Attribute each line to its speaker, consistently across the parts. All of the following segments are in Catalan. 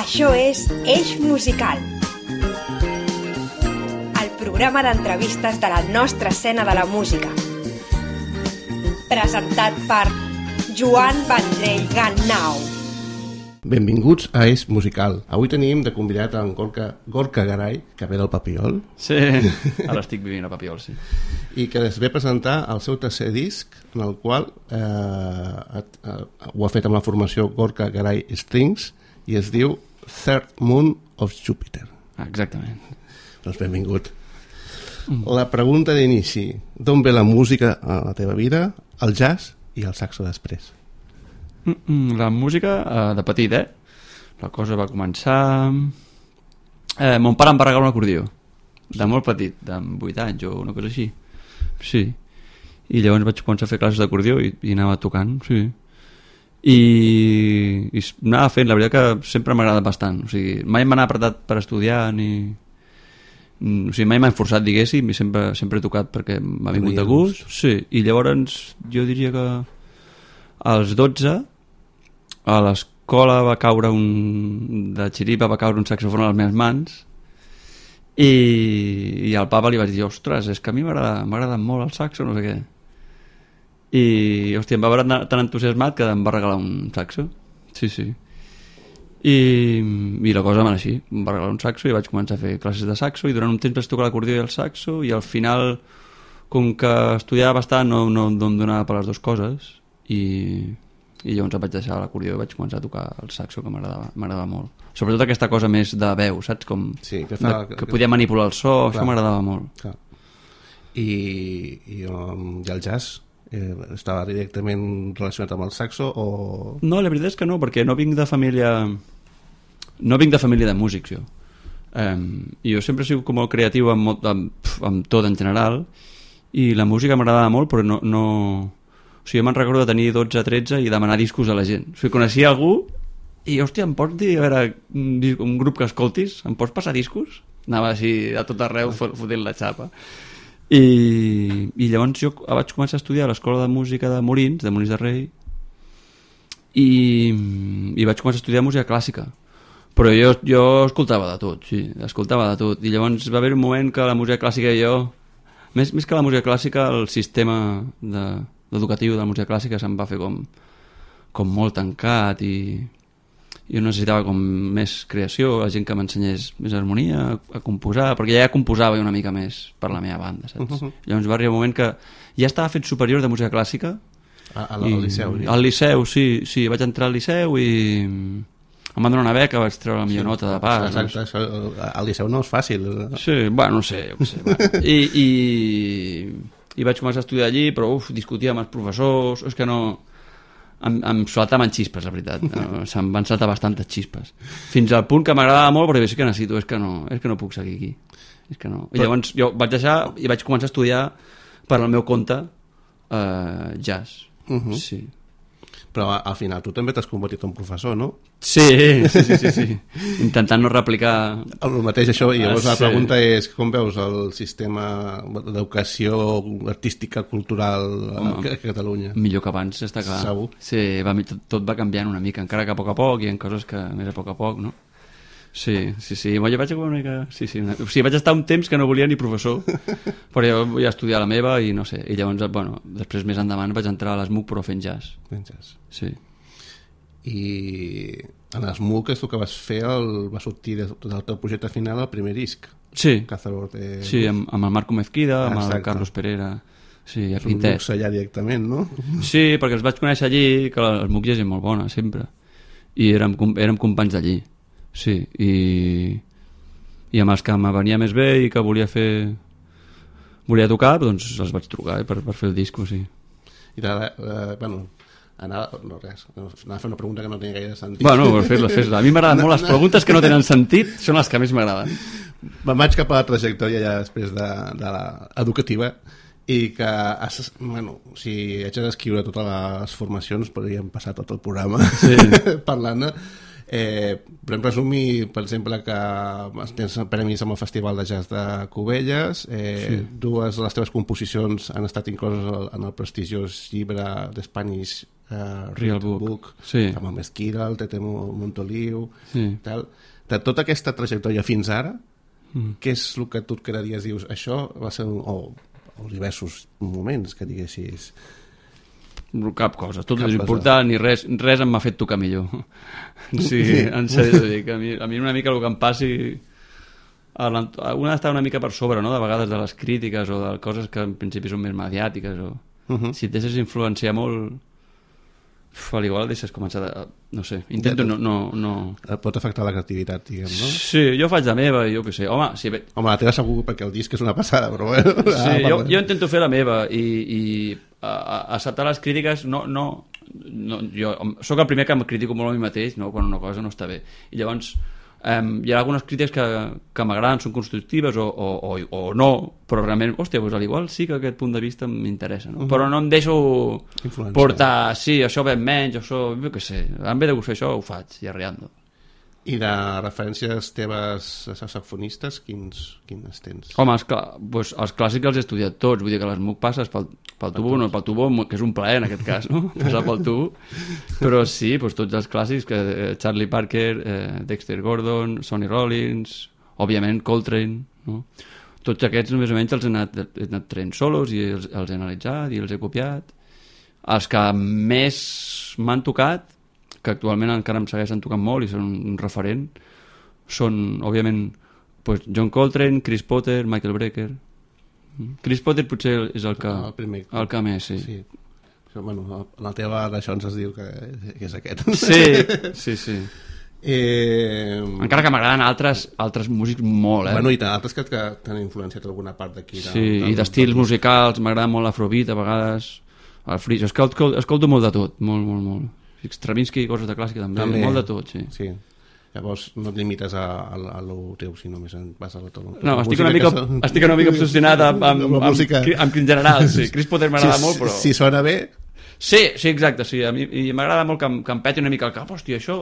Speaker 1: Això és Eix Musical, el programa d'entrevistes de la nostra escena de la música. Presentat per Joan Vendrell Gannau.
Speaker 2: Benvinguts a Eix Musical. Avui tenim de convidat en Gorka Garay, que ve del Papiol.
Speaker 3: Sí, ara estic vivint a Papiol, sí.
Speaker 2: I que es ve a presentar el seu tercer disc, en el qual ho ha fet amb la formació Gorka Garay Strings i es diu Third Moon of Jupiter.
Speaker 3: Exactament.
Speaker 2: Doncs benvingut. La pregunta d'inici: d'on ve la música a la teva vida, el jazz i el saxo després?
Speaker 3: La música, de petit, la cosa va començar... mon pare em va regalar un acordió, de molt petit, de 8 anys o una cosa així. Sí. I llavors vaig començar a fer classes d'acordió i anava tocant, sí. I anava fent, la veritat que sempre m'ha agradat bastant. O sigui, mai m'ha apretat per estudiar ni... O sigui, mai m'ha forçat, diguéssim, i sempre he tocat perquè m'ha vingut de gust. Sí. I llavors jo diria que als 12 a l'escola va caure de xiripa va caure un saxofon a les meves mans i al papa li vaig dir, ostres, és que a mi m'agrada molt el saxo, no sé què. I hòstia, em va veure tan entusiasmat que em va regalar un saxo. Sí, sí. I la cosa va anar així, em va regalar un saxo i vaig començar a fer classes de saxo i durant un temps vaig tocar l'acordió i el saxo i al final, com que estudiava bastant, no em donava per les dues coses i llavors em vaig deixar l'acordió i vaig començar a tocar el saxo, que m'agradava molt. Sobretot aquesta cosa més de veu, saps? Com
Speaker 2: sí,
Speaker 3: que podia manipular el so, clar. Això m'agradava molt. Clar.
Speaker 2: I el jazz estava directament relacionat amb el saxo o...?
Speaker 3: No, la veritat és que no, perquè no vinc de família de músics, jo. I jo sempre he sigut com molt creatiu amb tot en general i la música m'agradava molt, però no... O sigui, jo me'n recordo de tenir 12-13 i demanar discos a la gent. O sigui, coneixia algú i, hòstia, em pots dir, a veure, un grup que escoltis? Em pots passar discos? Anava així a tot arreu fotent la xapa. I llavors jo vaig començar a estudiar a l'Escola de Música de Molins de Rei, i vaig començar a estudiar música clàssica. Però jo escoltava de tot, sí, escoltava de tot. I llavors va haver un moment que la música clàssica i jo... Més que la música clàssica, el sistema educatiu de la música clàssica se'm va fer com molt tancat i jo necessitava com més creació, la gent que m'ensenyés més harmonia, a composar, perquè ja composava una mica més per la meva banda, saps? Llavors va arribar un moment que ja estava fet superior de música clàssica
Speaker 2: al Liceu.
Speaker 3: Al Liceu, sí, vaig entrar al Liceu i em van donar una beca, vaig treure la millor nota de pas.
Speaker 2: Exacte, al Liceu no és fàcil.
Speaker 3: Sí, bueno, no sé. I vaig començar a estudiar allí, però discutia amb els professors, és que no... Em saltaven xispes, la veritat. Se'm van saltar bastantes xispes. Fins al punt que m'agradava molt, però sí que necessito, és que no puc seguir aquí. És que no. I llavors jo vaig deixar i vaig començar a estudiar per al meu compte jazz. Sí.
Speaker 2: Però al final tu també t'has convertit en professor, no?
Speaker 3: Sí. Intentant no replicar...
Speaker 2: El mateix això, i llavors la pregunta és com veus el sistema d'educació artística, cultural a Catalunya?
Speaker 3: Millor que abans, està clar.
Speaker 2: Segur?
Speaker 3: Sí, tot va canviant una mica, encara que a poc hi ha coses que més a poc, no? Sí, jo vaig una mica... Sí, o sigui, vaig estar un temps que no volia ni professor, però jo volia estudiar la meva i no sé, i llavors, bueno, després més endavant vaig entrar a l'ESMUC però fent jazz.
Speaker 2: Fent jazz.
Speaker 3: Sí.
Speaker 2: I en l'ESMUC és el que vas fer, va sortir del teu projecte final el primer disc.
Speaker 3: Sí,
Speaker 2: sí,
Speaker 3: amb el Marco Mezquida, amb el Carlos Pereira. Sí,
Speaker 2: és un luxe allà directament, no?
Speaker 3: Sí, perquè els vaig conèixer allí, que l'ESMUC ja és molt bona, sempre. I érem companys d'allí. Sí, i amb els que me venia més bé i que volia tocar, doncs els vaig trucar per fer el disco, sí.
Speaker 2: I anava a fer una pregunta que no tenia gaire sentit.
Speaker 3: Bueno, fes-la. A mi m'agraden molt les preguntes que no tenen sentit, són les que més m'agraden.
Speaker 2: Me'n vaig cap a la trajectòria ja després de l'educativa i que si haig d'escriure totes les formacions podríem passar tot el programa parlant. Podem resumir, per exemple, que tens premis amb el Festival de Jazz de Cubelles, dues de les teves composicions han estat incloses en el prestigiós llibre d'Spanish
Speaker 3: Real Book. Sí.
Speaker 2: amb el Mesquira, el Tete Montoliu,
Speaker 3: Sí.
Speaker 2: tal. De tota aquesta trajectòria fins ara, què és el que tu et quedaries? Dius, això va ser o diversos moments que diguessis...
Speaker 3: Cap cosa, tot
Speaker 2: Cap
Speaker 3: és
Speaker 2: cosa.
Speaker 3: important i res em m'ha fet tocar millor. Sí, en sèrio t'ho dic. A mi una mica el que em passi... Una d'estar una mica per sobre, no?, de vegades de les crítiques o de coses que en principi són més mediàtiques o... Si et deixes influenciar molt... Al igual deixes començar a... No sé, intento no...
Speaker 2: Et pot afectar la creativitat, diguem, no?
Speaker 3: Sí, jo faig la meva, jo què sé. Home, sí,
Speaker 2: Home, la teva segur, perquè el disc és una passada, però bueno...
Speaker 3: Sí, jo intento fer la meva i acceptar les crítiques jo sóc el primer que em critico molt a mi mateix, no?, quan una cosa no està bé, i llavors hi ha algunes crítiques que m'agraden, són constructives o no, però realment, hòstia, doncs igual sí que aquest punt de vista m'interessa, no? Però no em deixo portar, sí, això ve menys, això, jo què sé, em ve de gust fer això, ho faig, i arreando.
Speaker 2: I de referències teves saxofonistes, quines tens?
Speaker 3: Home, doncs els clàssics els he estudiat tots, vull dir que l'ESMUC passes pel tubo, no pel tubo, que és un plaer en aquest cas, no?, passar pel tubo, però sí, doncs tots els clàssics, Charlie Parker, Dexter Gordon, Sonny Rollins, òbviament Coltrane, no? Tots aquests més o menys els he anat traient solos i els he analitzat i els he copiat. Els que més m'han tocat, que actualment encara em segueixen tocant molt i són un referent, són, òbviament, John Coltrane, Chris Potter, Michael Brecker. Chris Potter potser és el que més, sí.
Speaker 2: Bueno, la teva d'això ens es diu que és aquest.
Speaker 3: Sí. Encara que m'agraden altres músics molt,
Speaker 2: Bueno, i altres que t'han influenciat alguna part d'aquí.
Speaker 3: Sí, i d'estils musicals, m'agrada molt l'afrobeat a vegades, el free, escolto molt de tot, molt. Stravinsky, coses de clàssica també, molt de tot, sí.
Speaker 2: Llavors no et limites a lo teu, sinó més vas a la teva.
Speaker 3: No, estic una mica obsessionat amb en general, sí. Chris Potter m'agrada molt, però...
Speaker 2: Si sona bé...
Speaker 3: Sí, exacte, sí. A mi m'agrada molt que em peti una mica el cap, hòstia, això...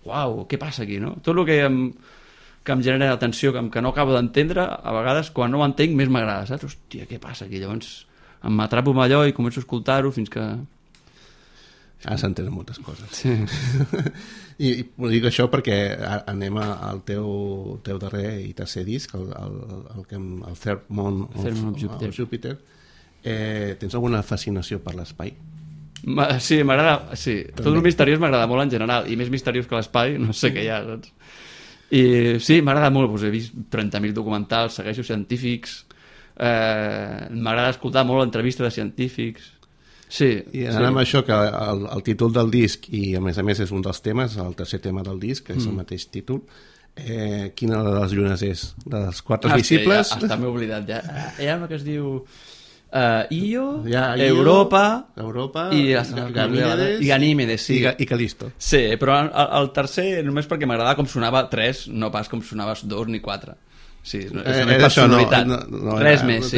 Speaker 3: Uau, què passa aquí, no? Tot el que em genera atenció, que no acabo d'entendre, a vegades, quan no ho entenc, més m'agrada, saps? Hòstia, què passa aquí? Llavors m'atrapo amb allò i començo a escoltar-ho fins que...
Speaker 2: s'entenen moltes coses.
Speaker 3: Sí.
Speaker 2: I dic això perquè anem al teu darrer i tercer disc, el Third Moon of Jupiter. Tens alguna fascinació per l'espai?
Speaker 3: Sí, m'agrada, sí. Tot el misteriós m'agrada molt en general, i més misteriós que l'espai, no sé què hi ha, saps? I sí, m'agrada molt, he vist 30.000 documentals, segueixo científics, m'agrada escoltar molt entrevistes de científics. Sí,
Speaker 2: i anant amb això, que el títol del disc, i a més és un dels temes, el tercer tema del disc, que és el mateix títol, quina de les llunes és? De les quatre visibles?
Speaker 3: Ja, està m'he oblidat ja. Hi ha una que es diu Io, Europa i Ganímedes, sí.
Speaker 2: I Calisto.
Speaker 3: Sí, però el tercer només perquè m'agradava com sonava 3, no pas com sonava 2 ni 4. Sí, és una personalitat. Res més.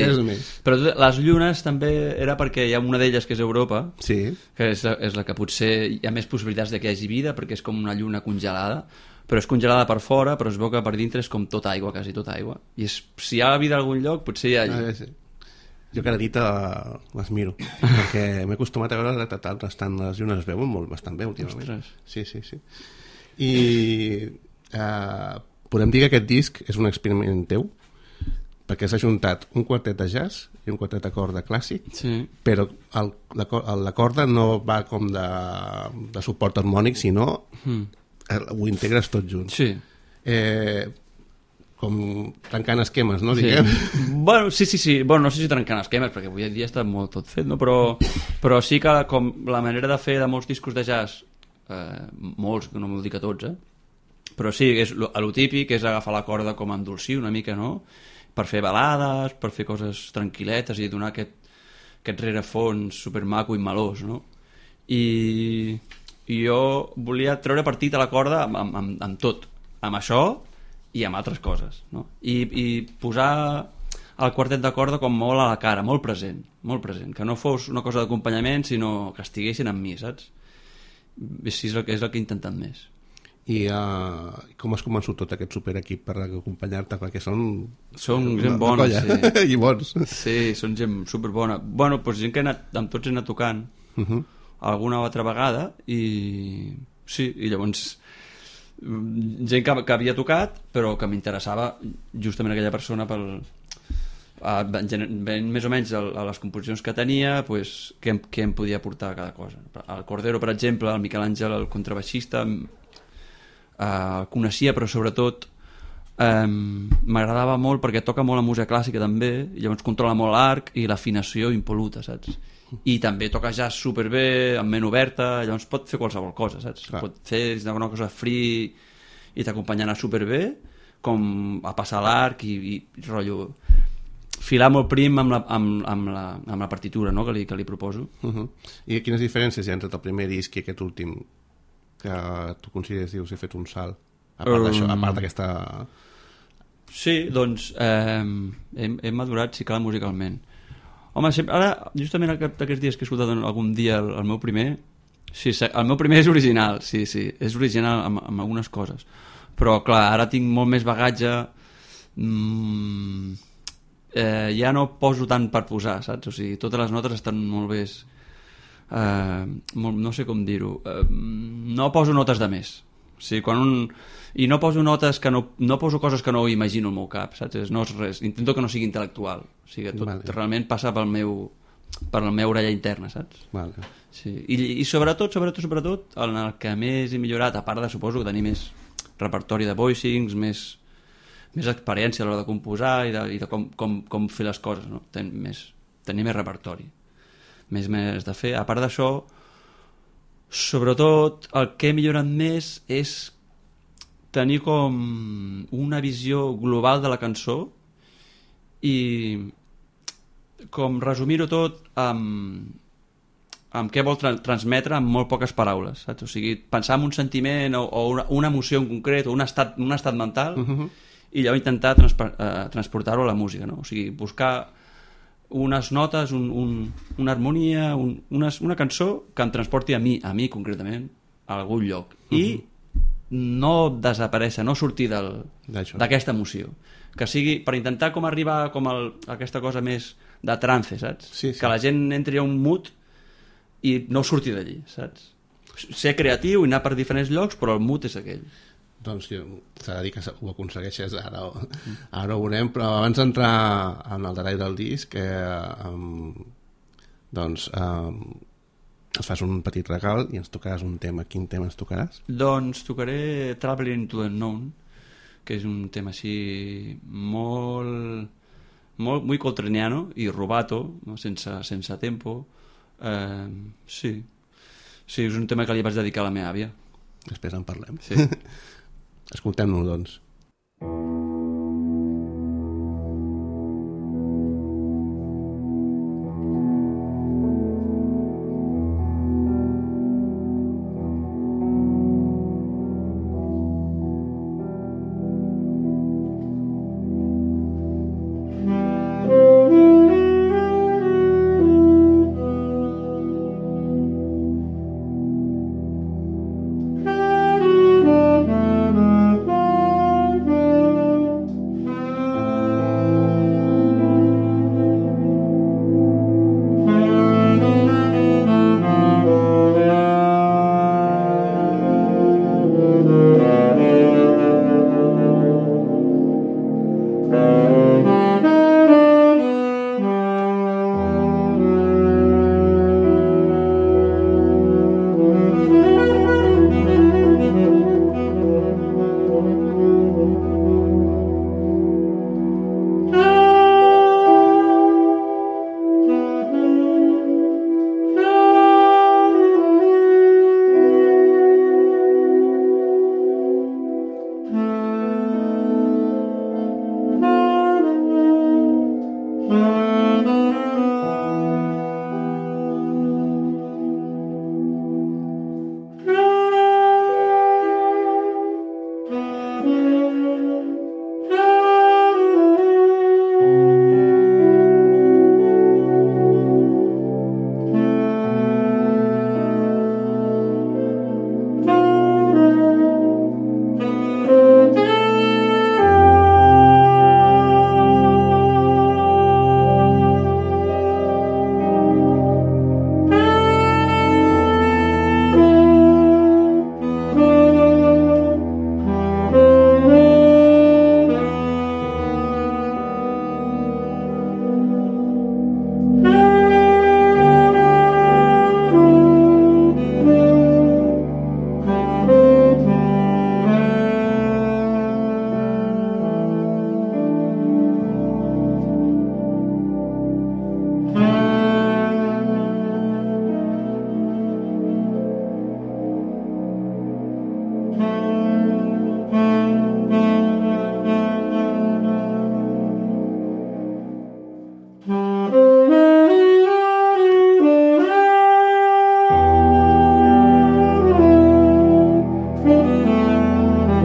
Speaker 3: Però les llunes també era perquè hi ha una d'elles que és Europa, que és la que potser hi ha més possibilitats de que hi hagi vida, perquè és com una lluna congelada, però és congelada per fora, però es veu que per dintre és com tot aigua, quasi tot aigua. I si hi ha vida a algun lloc, potser hi ha allí.
Speaker 2: Jo cada nit les miro, perquè m'he acostumat a veure que les llunes es veuen bastant bé últimament. Sí. I podem dir que aquest disc és un experiment teu, perquè s'ha juntat un quartet de jazz i un quartet de corda clàssic, però la corda no va com de suport harmònic, sinó ho integres tot junt.
Speaker 3: Sí.
Speaker 2: Com trencant esquemes, no? Diguem.
Speaker 3: Bueno, sí. Bueno, no sé si trencant esquemes, perquè avui en dia està molt tot fet, no? Però sí que com la manera de fer de molts discos de jazz, molts, no m'ho dic a tots, però sí, lo típic és agafar la corda com a endolcir una mica, no? Per fer balades, per fer coses tranquil·letes i donar aquest rerefons supermaco i melós, no? I jo volia treure partit a la corda amb tot, amb això i amb altres coses, no? I posar el quartet de corda com molt a la cara, molt present, que no fos una cosa d'acompanyament, sinó que estiguessin amb mi, saps? És el que he intentat més.
Speaker 2: I com has convençut tot aquest superequip per acompanyar-te? Perquè són
Speaker 3: gent bona, sí.
Speaker 2: I bons.
Speaker 3: Sí, són gent superbona. Bueno, doncs gent que amb tots he anat tocant. alguna altra vegada i sí, i llavors gent que havia tocat però que m'interessava justament aquella persona ben més o menys a les composicions que tenia, pues, què em podia aportar a cada cosa. El Cordero, per exemple, el Miquel Àngel, el contrabaixista, el coneixia, però sobretot m'agradava molt perquè toca molt la música clàssica també, i llavors controla molt l'arc i l'afinació impol·luta, saps? I també toca jazz superbé, amb ment oberta, llavors pot fer qualsevol cosa, saps? Clar. Pot fer una cosa free i t'acompanyarà superbé, com a passar l'arc i rotllo filar molt prim amb la partitura, no? que li proposo.
Speaker 2: I quines diferències hi ha entre el primer disc i aquest últim que tu consideres, dius, he fet un salt a part d'això, a part d'aquesta...
Speaker 3: Sí, doncs hem madurat, sí, clar, musicalment. Home, ara, justament aquests dies que he escoltat algun dia el meu primer, sí, el meu primer és original, sí, és original amb algunes coses, però clar, ara tinc molt més bagatge, ja no poso tant per posar, saps? O sigui, totes les notes estan molt bé, no sé com dir-ho, no poso notes de més, o sigui, i no poso notes que no poso coses que no imagino al meu cap, saps? No és res, intento que no sigui intel·lectual, o sigui, tot realment passa per la meva orella interna, saps?
Speaker 2: Vale.
Speaker 3: Sí. I sobretot en el que més he millorat, a part de, suposo, que tenir més repertori de voicings, més experiència a l'hora de composar i de com fer les coses, no? Tenir més repertori, més de fer. A part d'això, sobretot el que he millorat més és tenir com una visió global de la cançó i com resumir-ho tot amb què vol transmetre amb molt poques paraules, saps? O sigui, pensar en un sentiment o una emoció en concret o un estat mental i llavors intentar transportar-ho a la música, no? O sigui, buscar unes notes, una harmonia, una cançó que em transporti a mi concretament, a algun lloc. I no desaparèixer, no sortir d'aquesta emoció. Que sigui per intentar com arribar com a aquesta cosa més de trance, saps? Sí. Que la gent entri a un mood i no surti d'allí, saps? Ser creatiu i anar per diferents llocs, però el mood és aquell.
Speaker 2: Doncs s'ha de dir que ho aconsegueixes, ara ho veurem, però abans d'entrar en el detall del disc ens fas un petit regal i ens tocaràs un tema. Quin tema ens tocaràs?
Speaker 3: Doncs tocaré Traveling into the Unknown, que és un tema així molt muy coltraniano i rubato, no? sense tempo. Sí, és un tema que li vaig dedicar a la meva àvia.
Speaker 2: Després en parlem.
Speaker 3: Sí.
Speaker 2: Escoltem-lo, doncs.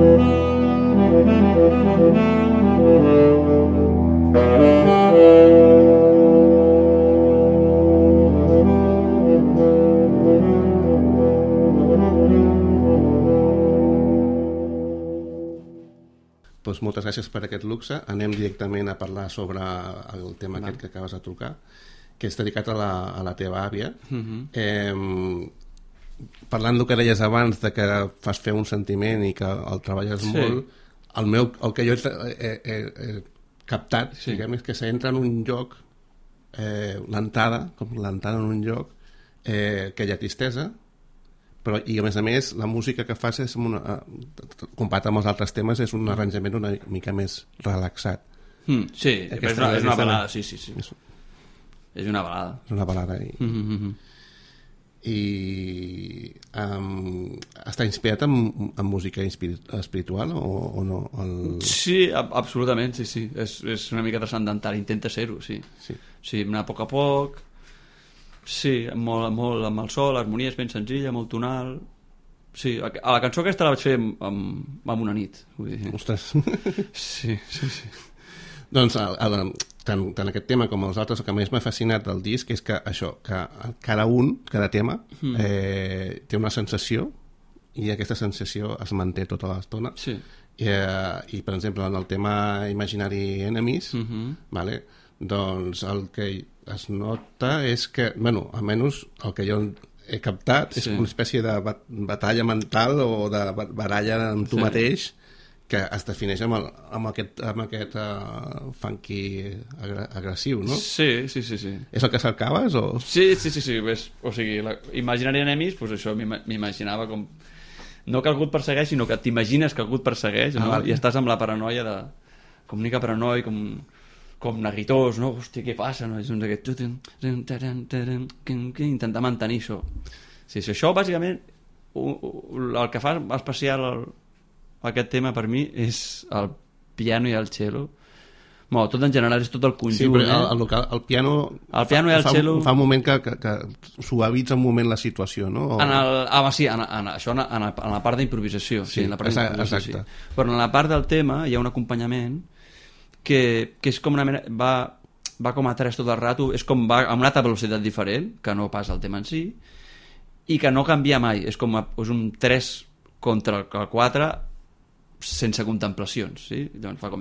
Speaker 2: Doncs moltes gràcies per aquest luxe. Anem directament a parlar sobre el tema aquest que acabes de trucar, que és dedicat a la teva àvia. Parlant del que deies abans, de que fas fer un sentiment i que el treballes molt, el que jo he captat, diguem, és que s'entra en un lloc, l'entrada en un lloc, que hi ha tristesa, però, i a més la música que fas és comparat amb els altres temes és un arranjament una mica més relaxat.
Speaker 3: Sí, és una balada, sí. És una balada.
Speaker 2: És una balada i està inspirat en música espiritual o no?
Speaker 3: Sí, absolutament, sí. És una mica transcendental, intenta ser-ho, sí. Anar a poc. Sí, molt amb el sol, l'harmonia és ben senzilla, molt tonal. Sí, a la cançó aquesta la vaig fer amb una nit, vull dir.
Speaker 2: Ostres.
Speaker 3: Sí.
Speaker 2: Doncs tant aquest tema com els altres, el que més m'ha fascinat del disc és que això, que cada tema té una sensació i aquesta sensació es manté tota l'estona.
Speaker 3: Sí.
Speaker 2: I per exemple en el tema Imaginary Enemies, vale? Doncs el que es nota és que, bueno, almenys el que jo he captat és una espècie de batalla mental o de baralla amb tu mateix que es defineix amb aquest funky agressiu, no?
Speaker 3: Sí.
Speaker 2: És el que cercaves? O...
Speaker 3: Sí. O sigui, Imaginary Enemies, doncs això m'imaginava com... No que algú et persegueix, sinó que t'imagines que algú et persegueix, no? I estàs amb la paranoia de... com una mica paranoia, com neguitós, no? Hòstia, què passa? No? És un d'aquest... intentar mantenir això. Sí, això, bàsicament, el que fa especial aquest tema per mi és el piano i el cello. Bueno, tot en general és tot el conjunt.
Speaker 2: Sí, però el piano
Speaker 3: i el cello...
Speaker 2: Fa un moment que suavitza un moment la situació, no?
Speaker 3: En la part d'improvisació. Sí, en la part d'improvisació.
Speaker 2: Exacte.
Speaker 3: Però en la part del tema hi ha un acompanyament que és com una mena... Va com a tres tot el rato, és com va a una altra velocitat diferent, que no pas el tema en si, i que no canvia mai. És un 3 contra el 4 sense contemplacions, sí? Llavors fa com...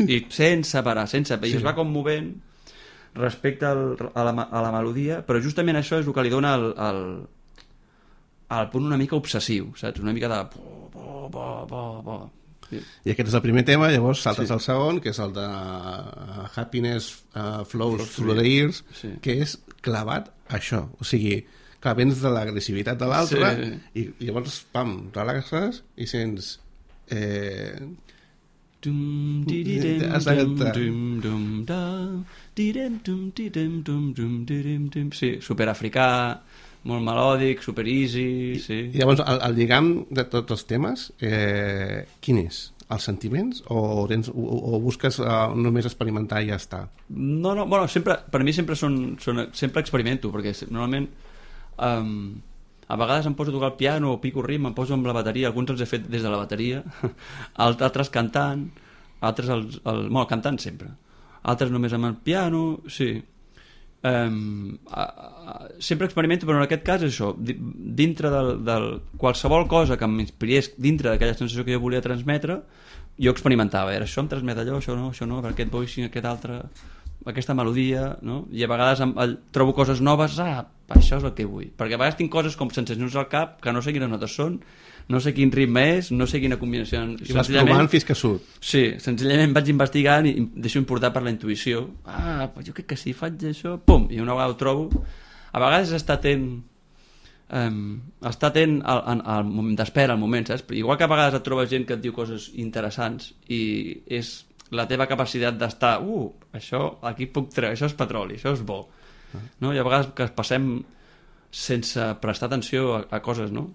Speaker 3: i sense parar, i es va com movent respecte a la melodia, però justament això és el que li dona el punt una mica obsessiu, saps? Una mica de...
Speaker 2: I aquest és el primer tema, llavors saltes al segon, que és el de Happiness Flows Through the Ears, que és clavat això, o sigui, que vens de l'agressivitat de l'altre i llavors, pam, relaxes i sents...
Speaker 3: Sí, superafricà, molt melòdic, super easy, sí.
Speaker 2: I llavors el lligam de tots els temes quin és? Els sentiments o busques només experimentar i ja està?
Speaker 3: No, bueno, per mi sempre sempre experimento, perquè normalment a vegades em poso a tocar el piano o pico ritme, em poso amb la bateria, alguns els he fet des de la bateria, altres cantant, altres cantant sempre, altres només amb el piano, sí. Sempre experimento, però en aquest cas és això, dintre del qualsevol cosa que m'inspirés dintre d'aquella sensació que jo volia transmetre, jo experimentava, això em transmet allò, això no, per aquest voicing, aquest altre, aquesta melodia, no? I a vegades trobo coses noves, això és el que vull, perquè a vegades tinc coses com sensacions al cap que no sé quines notes són, no sé quin ritme és, no sé quina combinació.
Speaker 2: I vas provant fins que surt.
Speaker 3: Sí, senzillament vaig investigant i em deixo importar per la intuïció. Jo crec que si faig això, pum, i una vegada ho trobo. A vegades està atent al moment d'espera, al moment, saps? Igual que a vegades et trobes gent que et diu coses interessants i és la teva capacitat d'estar, això aquí puc treure, això és petroli, això és bo. No? I a vegades que passem sense prestar atenció a coses, no?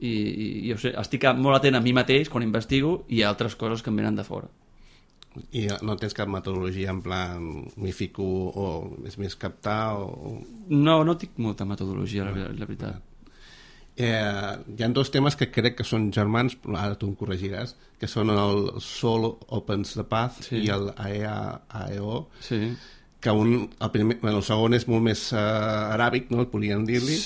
Speaker 3: I jo sé, estic molt atent a mi mateix quan investigo i a altres coses que em venen de fora.
Speaker 2: I no tens cap metodologia en plan m'hi fico o és més captar o...
Speaker 3: No tinc molta metodologia, la veritat.
Speaker 2: Hi ha dos temes que crec que són germans, ara tu em corregiràs, que són el Soul Opens the Path i el AEO, que el segon és molt més aràbic, no? Podríem dir-li,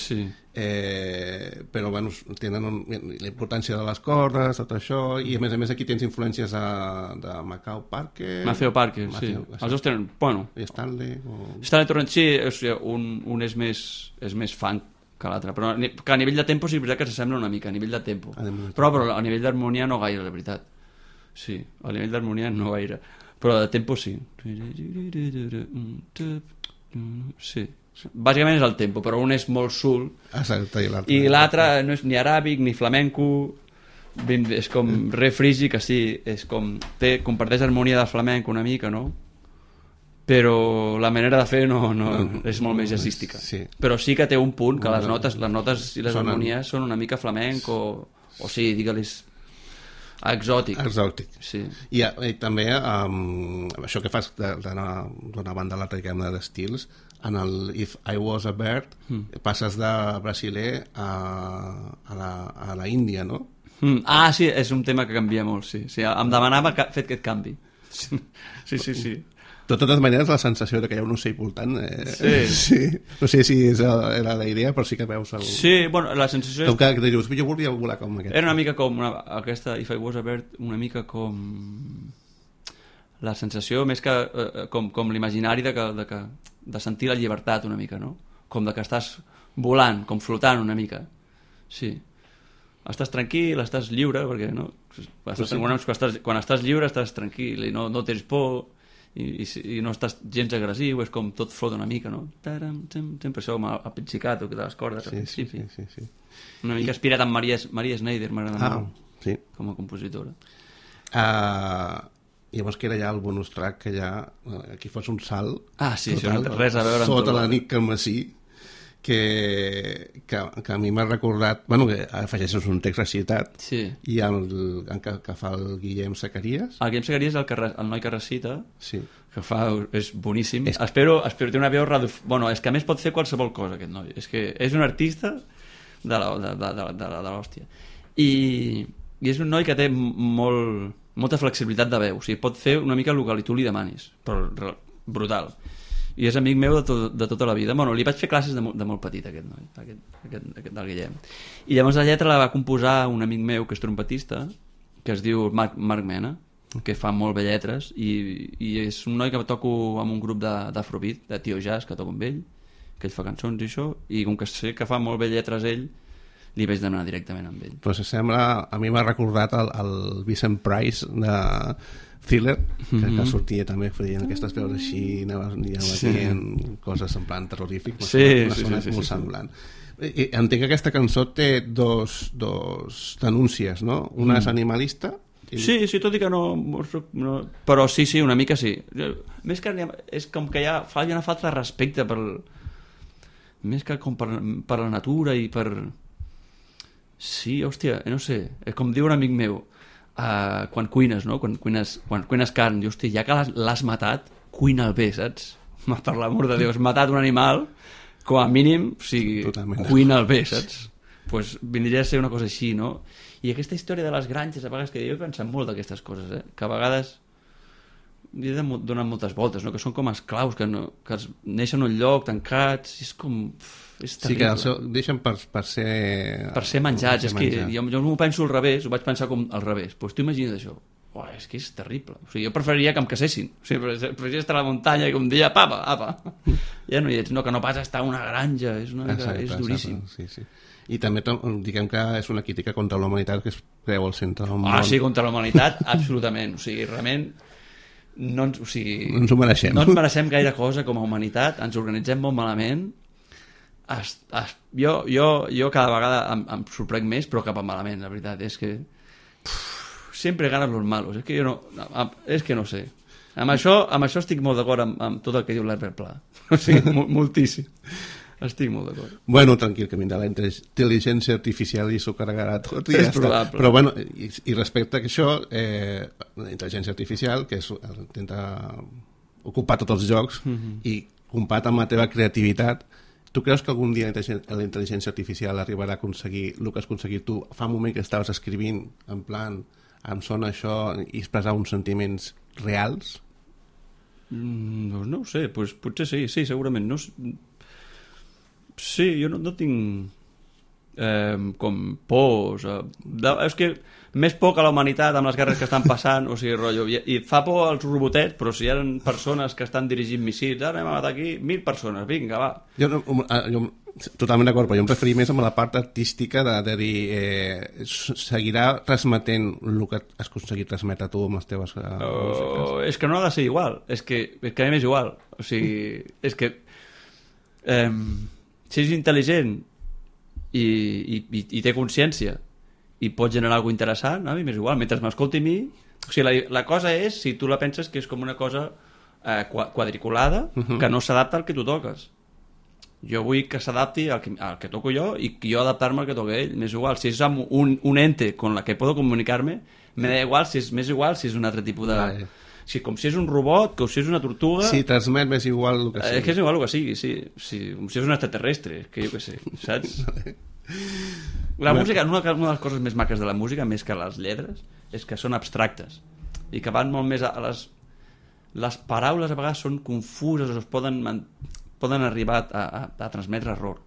Speaker 2: però bueno, tenen la importància de les cordes, tot això, i a més aquí tens influències de Matthew Parker,
Speaker 3: sí. Els dos tenen, bueno...
Speaker 2: I Stanley
Speaker 3: Torrent, sí, un és més funk que l'altre, però que a nivell de tempo sí, és veritat que s'assembla una mica, a nivell de tempo, però a nivell d'harmonia no gaire, la veritat. Sí, a nivell d'harmonia no gaire, però de tempo sí. Sí, bàsicament és el tempo, però un és molt soul i l'altre no és ni aràbic ni flamenco, és com re frigi, que sí, és com comparteix harmonia de flamenco una mica, no? Però la manera de fer no és molt més jazzística, però sí que té un punt que les notes i les harmonies són una mica flamenc o sí, digue-li exòtic. Sí.
Speaker 2: I també això que fas d'una banda a l'altra d'estils, en el If I Was a Bird passes de brasiler a la Índia, no?
Speaker 3: Sí, és un tema que canvia molt, sí. Em demanava fet aquest canvi. Sí.
Speaker 2: De totes maneres, la sensació que hi ha un ocell voltant... Sí. No sé si era la idea, però sí que veus...
Speaker 3: Sí, bueno, la sensació
Speaker 2: és... Que dius, jo volia volar com aquest.
Speaker 3: Era una mica com aquesta If I Was a Bird, una mica com... La sensació més que com l'imaginari de sentir la llibertat una mica, no? Com de que estàs volant, com flotant una mica. Sí. Estàs tranquil, estàs lliure, perquè no? Quan estàs lliure estàs tranquil i no tens por... I no estàs gens agressiu, és com tot flota una mica, no? Sempre això, el pizzicato de les cordes al principi.
Speaker 2: Sí.
Speaker 3: Una mica inspirat en Maria Schneider, m'agrada molt, com a compositora.
Speaker 2: Llavors que era ja el bonus track, que ja aquí fos un salt
Speaker 3: total, res a veure
Speaker 2: sota la nit Calmací, que a mi m'ha recordat, bueno, que afegeixes un text recitat i que fa el Guillem Zacarías.
Speaker 3: El Guillem Zacarías és el noi que recita, que fa, és boníssim. Espero té una veu bueno, és que a més pot fer qualsevol cosa aquest noi, és que és un artista de l'hòstia i és un noi que té molta flexibilitat de veu, o sigui, pot fer una mica el que tu li demanis, però brutal. I és amic meu de tota la vida. Bueno, li vaig fer classes de molt petit, aquest noi, aquest del Guillem. I llavors la lletra la va composar un amic meu que és trompetista, que es diu Marc Mena, que fa molt bé lletres, i és un noi que toco amb un grup d'afrobeat, de tio jazz, que toco amb ell, que ell fa cançons i això, i com que sé que fa molt bé lletres ell, li vaig demanar directament amb ell.
Speaker 2: Però s'assembla, a mi m'ha recordat el Vincent Price de Thriller, que sortia també feien aquestes veus així, anava dient coses en plan terrorífic, m'ha sonat molt semblant. Entenc que aquesta cançó té dos denúncies, no? Una és animalista.
Speaker 3: Sí, tot i que no, però sí, una mica sí. Més que és com que hi ha una falta de respecte més que com per la natura i per... Sí, hòstia, no sé, és com diu un amic meu, quan cuines, no? Quan cuines carn, dius, hòstia, ja que l'has matat, cuina'l bé, saps? Per l'amor de Déu, has matat un animal, com a mínim, o sigui, cuina'l bé, saps? Pues vindria a ser una cosa així, no? I aquesta història de les granges, a vegades, que jo he pensat molt d'aquestes coses, que a vegades li he donat moltes voltes, no? Que són com esclaus, que neixen en un lloc, tancats, i és com... És terrible.
Speaker 2: Sí, que deixen per ser
Speaker 3: menjats. És que jo m'ho penso al revés, ho vaig pensar com al revés. Doncs tu imagina't això. És que és terrible. O sigui, jo preferiria que em casessin. O sigui, preferiria estar a la muntanya i que un dia, apa. Ja no hi ets. No, que no pas estar a una granja. És duríssim.
Speaker 2: Sí. I també diguem que és una crítica contra la humanitat que es creu al centre del món.
Speaker 3: Sí, contra la humanitat, absolutament. O sigui, realment... No ens
Speaker 2: ho mereixem.
Speaker 3: No ens mereixem gaire cosa com a humanitat. Ens organitzem molt malament. Jo cada vegada em sorprèn més, però cap a malament, la veritat és que sempre ganen los malos, és que no sé, amb això estic molt d'acord amb tot el que diu l'Herbert Pla, o sigui, moltíssim, Estic molt d'acord.
Speaker 2: Bueno, tranquil, que vindrà la intel·ligència artificial i s'ho carregarà tot i ja està.
Speaker 3: Probable.
Speaker 2: Però bueno, i respecte a això, la intel·ligència artificial, que intenta ocupar tots els jocs i compat amb la teva creativitat, tu creus que algun dia la intel·ligència artificial arribarà a aconseguir el que has aconseguit tu fa un moment que estaves escrivint, en plan, em sona això, i expressar uns sentiments reals?
Speaker 3: No ho sé, pues, potser sí, segurament. No, sí, jo no tinc com pors. És que més por que la humanitat amb les guerres que estan passant, o sigui, rotllo, i fa por als robotets, però si hi ha persones que estan dirigint missils, ara anem a matar aquí 1.000 persones, vinga, va.
Speaker 2: Jo totalment d'acord, però jo em referia més a la part artística de dir seguirà transmetent el que has aconseguit transmetre tu amb les teves músiques.
Speaker 3: És que no ha de ser igual, és que a mi m'és igual, o sigui, és que si és intel·ligent i té consciència i pot generar alguna interessant, a mi m'és igual, mentre m'escolti a mi, o sigui, la cosa és, si tu la penses que és com una cosa quadriculada, que no s'adapta al que tu toques. Jo vull que s'adapti al que toco jo i que jo adaptar-me al que toca ell, m'és igual, si és un ente con la que puedo comunicar-me, m'és igual si és un altre tipus de... com si és un robot, com si és una tortuga...
Speaker 2: Sí, transmet més igual el que sigui.
Speaker 3: Que és igual el que sigui, sí. Com si és un extraterrestre, que jo què sé, saps? La música, una de les coses més maques de la música, més que les lletres, és que són abstractes i que van molt més a les paraules a vegades són confuses o es poden arribar a transmetre error,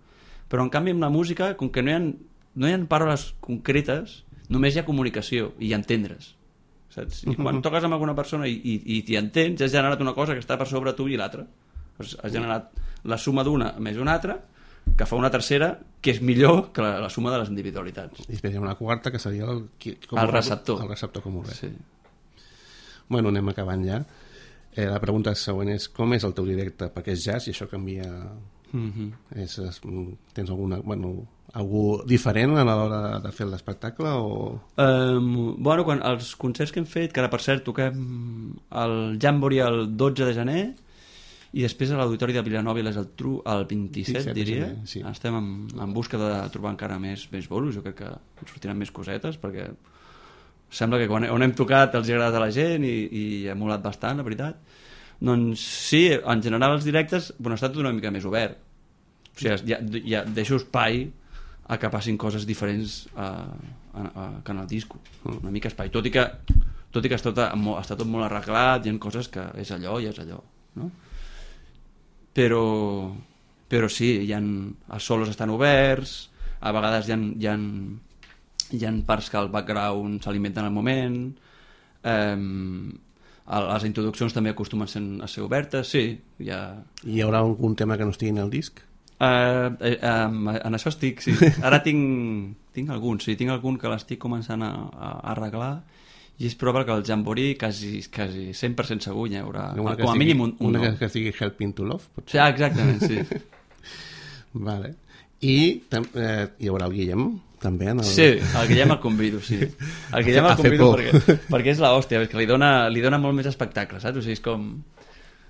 Speaker 3: però en canvi amb la música, com que no hi ha paraules concretes, només hi ha comunicació i entendre's, saps? I quan toques amb alguna persona i t'hi entens, has generat una cosa que està per sobre tu i l'altra, has generat la suma d'una més una altra que fa una tercera que és millor que la suma de les individualitats.
Speaker 2: I després hi ha una quarta que seria el
Speaker 3: receptor.
Speaker 2: El receptor com ho ve.
Speaker 3: Sí.
Speaker 2: Bueno, anem acabant ja. La pregunta següent és com és el teu directe? Perquè és jazz i això canvia... Tens algú diferent a l'hora de fer l'espectacle?
Speaker 3: Bueno, els concerts que hem fet, que ara per cert toquem el Jamboree el 12 de gener i després a l'Auditori de Vilanova i la Geltrú el 27 diria. Sí. Estem en busca de trobar encara més bolos, jo crec que ens sortiran més cosetes perquè sembla que on hem tocat els ha agradat a la gent i ha molat bastant, la veritat. Doncs sí, en general els directes ha estat una mica més obert, o sigui, ja deixo espai a que passin coses diferents que en el disco, una mica espai, tot i que està tot molt arreglat, hi ha coses que és allò i és allò, no? Però sí, els solos estan oberts, a vegades hi ha parts que el background s'alimenten al moment, les introduccions també acostumen a ser obertes, sí.
Speaker 2: Hi haurà algun tema que no estigui en el disc?
Speaker 3: En això estic, sí. Ara tinc algun, sí, tinc algun que l'estic començant a arreglar i és probable que el Jamboree quasi 100% segur hi haurà com a mínim un
Speaker 2: una que sigui Helping to Love, potser?
Speaker 3: Sí, exactament, sí.
Speaker 2: Vale. I hi haurà el Guillem també
Speaker 3: sí, el Guillem el convido, sí. El Guillem el convido perquè és l'hòstia, que li dona molt més espectacle, saps? O sigui, és com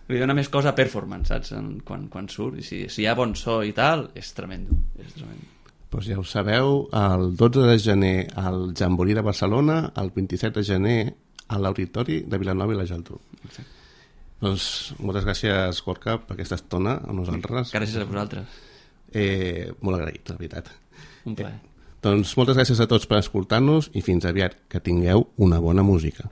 Speaker 3: li dona més cosa a performance, saps? Quan surt, i si hi ha bon so i tal, és tremendo.
Speaker 2: Doncs ja ho sabeu, el 12 de gener al Jamboree de Barcelona, el 27 de gener a l'Auditori de Vilanova i la Geltrú. Doncs moltes gràcies, Gorka, per aquesta estona amb nosaltres.
Speaker 3: Gràcies a vosaltres.
Speaker 2: Molt agraït, la veritat.
Speaker 3: Un plaer.
Speaker 2: Doncs moltes gràcies a tots per escoltar-nos i fins aviat, que tingueu una bona música.